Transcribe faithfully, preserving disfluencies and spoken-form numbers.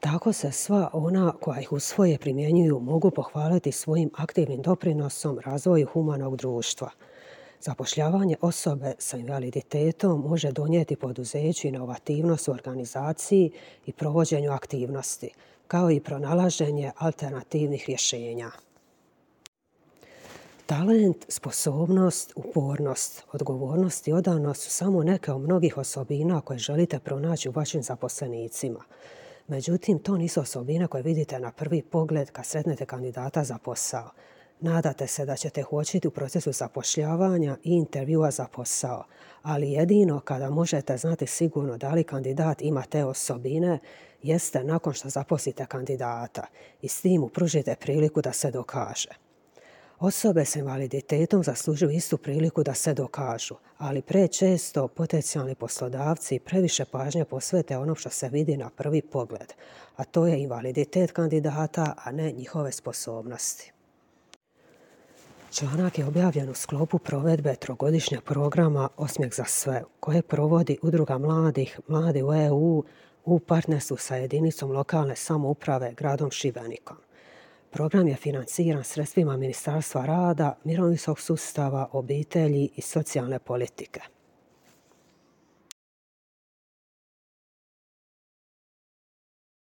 Tako se sva ona koja ih usvoje primjenjuju mogu pohvaliti svojim aktivnim doprinosom razvoju humanog društva. Zapošljavanje osobe sa invaliditetom može donijeti poduzeću inovativnost u organizaciji i provođenju aktivnosti, kao i pronalaženje alternativnih rješenja. Talent, sposobnost, upornost, odgovornost i odanost su samo neke od mnogih osobina koje želite pronaći u vašim zaposlenicima. Međutim, to nisu osobine koje vidite na prvi pogled kad sretnete kandidata za posao. Nadate se da ćete ih uočiti u procesu zapošljavanja i intervjua za posao, ali jedino kada možete znati sigurno da li kandidat ima te osobine jeste nakon što zaposlite kandidata i s tim mu pružite priliku da se dokaže. Osobe s invaliditetom zaslužuju istu priliku da se dokažu, ali prečesto potencijalni poslodavci previše pažnje posvete ono što se vidi na prvi pogled, a to je invaliditet kandidata, a ne njihove sposobnosti. Članak je objavljen u sklopu provedbe trogodišnjeg programa Osmijeh za sve, koje provodi Udruga mladih Mladi u E U u partnerstvu sa jedinicom lokalne samouprave gradom Šibenikom. Program je financiran sredstvima Ministarstva rada, mirovinskog sustava, obitelji i socijalne politike.